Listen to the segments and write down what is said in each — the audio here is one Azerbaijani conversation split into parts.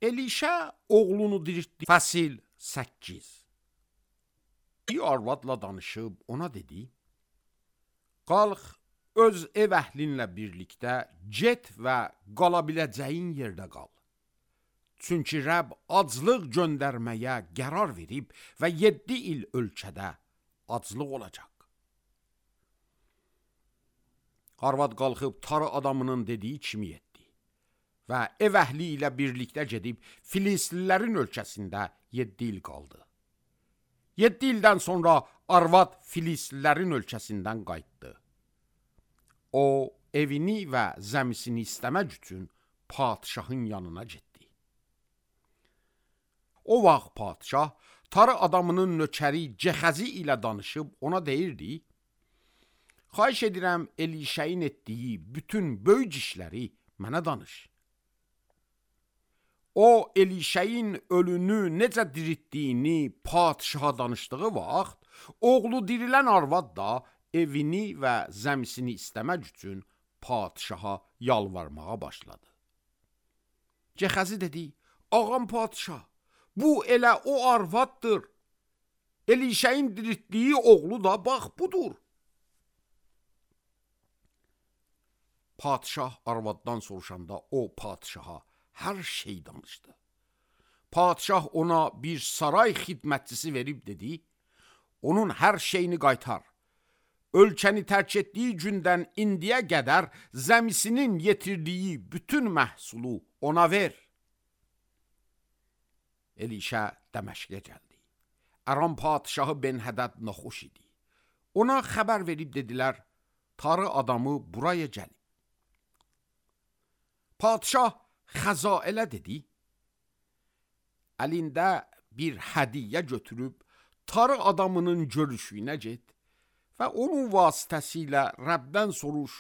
Elişə oğlunu diriltdi. Fəsil 8. Bir arvadla danışıb ona dedi: qalx, öz ev əhlinlə birlikdə get və qala biləcəyin yerdə qal. Çünki Rəbb aclıq göndərməyə qərar verib və 7 il ölkədə aclıq olacaq. Arvad qalxıb tarı adamının dediyi kimi etdi və ev əhli ilə birlikdə gedib Filislilərin ölkəsində 7 il qaldı. 7 ildən sonra arvad Filislilərin ölkəsindən qayıtdı. O, evini və zəmisini istəmək üçün padişahın yanına getdi. O vaxt padişah tarı adamının nökəri Cəxəzi ilə danışıb ona deyirdi: xahiş edirəm Elişəyin etdiyi bütün böyük işləri mənə danış. O, Elişəyin ölünü necə diriltdiyini padişaha danışdığı vaxt, oğlu dirilən arvad da evini və zəmisini istəmək üçün padişaha yalvarmağa başladı. Cəxəzi dedi: ağam padişah, bu elə o arvaddır. Elişəyin diriltdiyi oğlu da bax budur. Padişah arvaddan soruşanda o padişaha hər şey danışdı. Padişah ona bir saray xidmətçisi verib dedi: onun hər şeyini qaytar. Ölkəni tərk etdiyi gündən indiyə qədər zəmisinin yetirdiyi bütün məhsulu ona ver. Elişə Dəməşqə gəldi. Aram padişahı Ben-Hədəd naxoş idi. Ona xəbər verib dedilər: tarı adamı buraya gəlib. Padişah Xəzaələ dedi: əlində bir hədiyyə götürüb tarı adamının görüşünə get və onun vasitəsilə Rəbdən soruş: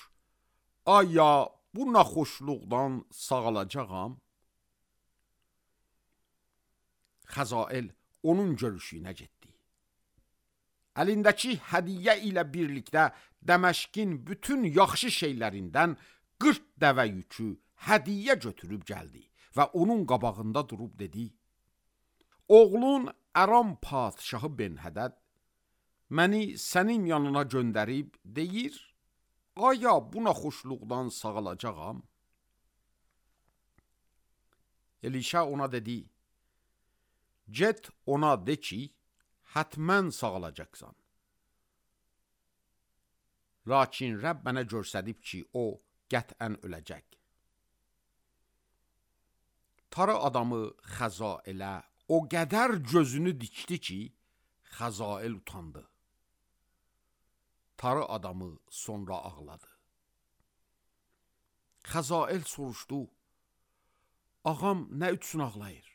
aya bu naxoşluqdan sağalacağam? Xəzaəl onun görüşünə getdi. Əlindəki hədiyyə ilə birlikdə Dəməşqin bütün yaxşı şeylərindən 40 dəvə yükü hədiyyə götürüb gəldi və onun qabağında durub dedi: oğlun Aram padişahı Ben-Hədəd məni sənin yanına göndərib deyir: aya bu naxoşluqdan sağalacağam? Elişə ona dedi: get ona de ki, hətmən sağalacaqsan. Lakin Rəbb mənə göstərib ki, o qətən öləcək. Tarı adamı Xəzaələ o qədər gözünü dikdi ki, Xəzaəl utandı. Tarı adamı sonra ağladı. Xəzaəl soruşdu: ağam nə üçün ağlayır?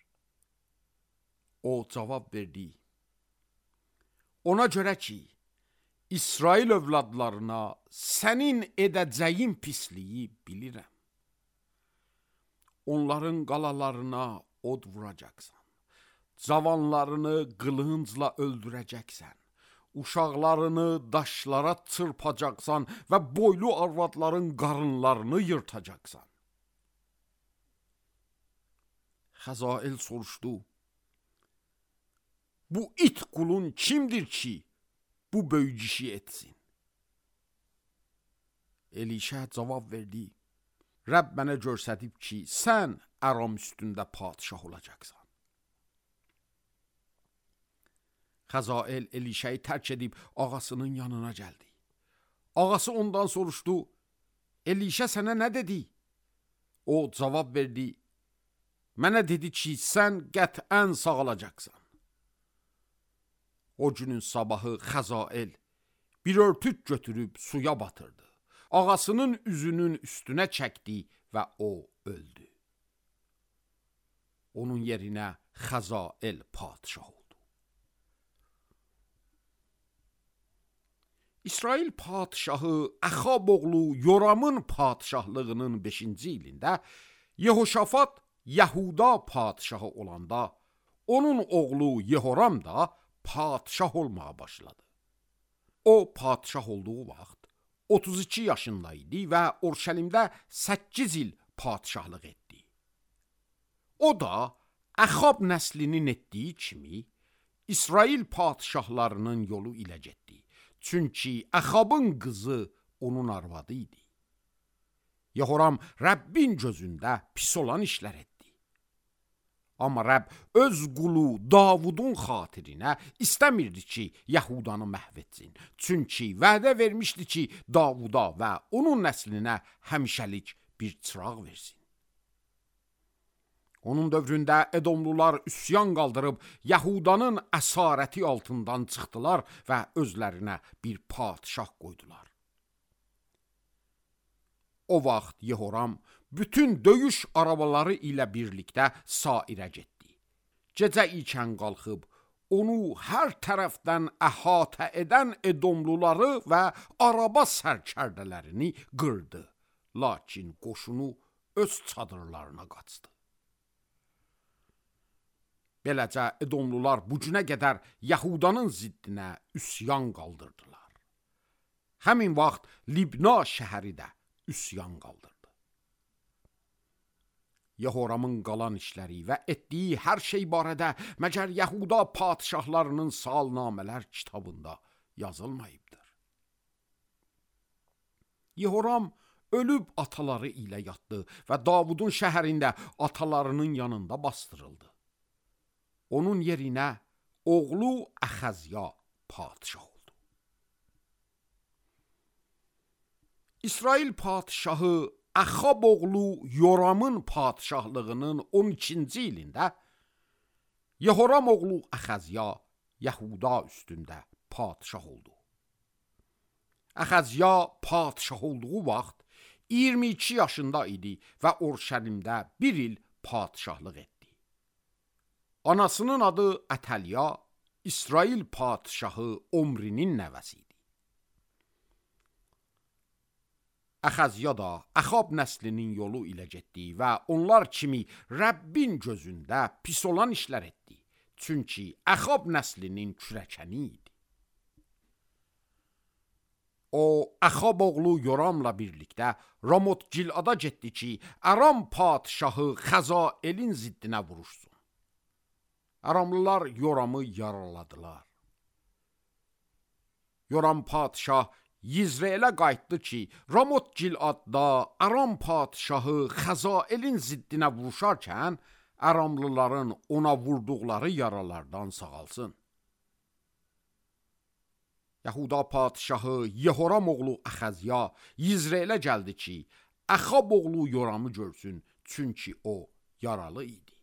O cavab verdi: ona görə ki, İsrail övladlarına sənin edəcəyin pisliyi bilirəm. Onların qalalarına od vuracaqsan, cavanlarını qılıncla öldürəcəksən, uşaqlarını daşlara çırpacaqsan və boylu arvadların qarınlarını yırtacaqsan. Xəzaəl soruşdu: bu it qulun kimdir ki, bu böyük işi etsin? Elişə cavab verdi: Rəbb mənə göstərib ki, sən Aram üstündə padişah olacaqsan. Xəzaəl Elişəyi tərk edib ağasının yanına gəldi. Ağası ondan soruşdu: Elişə sənə nə dedi? O cavab verdi: mənə dedi ki, sən qətən sağalacaqsan. O günün sabahı Xəzaəl bir örtük götürüb suya batırdı. Ağasının üzünün üstünə çəkdi və o öldü. Onun yerinə Xəzaəl padişah oldu. İsrail padişahı Əxab oğlu Yoramın padişahlığının 5-ci ilində Yehoşafat Yahuda padişahı olanda onun oğlu Yehoram da padişah olmağa başladı. O padişah olduğu vaxt 32 yaşında idi və Urşəlimdə 8 il padişahlıq etdi. O da Əxab nəslinin etdiyi kimi İsrail padşahlarının yolu ilə getdi. Çünki Əxabın qızı onun arvadı idi. Yehoram Rəbbin gözündə pis olan işlər etdi. Amma Rəbb öz qulu Davudun xatirinə istəmirdi ki, Yahudanı məhv etsin. Çünki vədə vermişdi ki, Davuda və onun nəslinə həmişəlik bir çıraq versin. Onun dövründə Edomlular üsyan qaldırıb Yahudanın əsarəti altından çıxdılar və özlərinə bir padşah qoydular. O vaxt Yehoram bütün döyüş arabaları ilə birlikdə sairə getdi. Gecə ikən qalxıb onu hər tərəfdən əhatə edən Edomluları və araba sərkərdələrini qırdı. Lakin qoşunu öz çadırlarına qaçdı. Beləcə Edomlular bu günə qədər Yahudanın ziddinə üsyan qaldırdılar. Həmin vaxt Libna şəhəri də üsyan qaldırdı. Yehoramın qalan işləri və etdiyi hər şey barədə məgər Yahuda padşahlarının salnamələr kitabında yazılmayıbdır. Yehoram ölüb ataları ilə yatdı və Davudun şəhərində atalarının yanında bastırıldı. Onun yerinə oğlu Əxəzya padşah oldu. İsrail padşahı Əxab oğlu Yoramın padşahlığının 12-ci ilində Yehoram oğlu Əxəzya Yahuda üstündə padşah oldu. Əxəzya padşah olduğu vaxt 22 yaşında idi və Orşəlimdə bir il padşahlıq etdi. Anasının adı Ətəlya, İsrail padşahı Omrinin nəvəsi idi. Əxəzya da Əxab nəslinin yolu ilə getdi və onlar kimi Rəbbin gözündə pis olan işlər etdi. Çünki Əxab nəslinin kürəkəni idi. O, Əxab oğlu Yoramla birlikdə Ramot Gilada getdi ki, Aram padşahı Xəzaelin ziddinə vuruşsun. Aramlılar Yoramı yaraladılar. Yoram padşah Yizreələ qayıtdı ki, Ramot Giladda Aram padşahı Xəzaelin ziddinə vuruşarkən Aramlıların ona vurduqları yaralardan sağalsın. Yahuda padşahı Yehoram oğlu Əxəzya Yizreələ gəldi ki, Əxab oğlu Yoramı görsün, çünki o yaralı idi.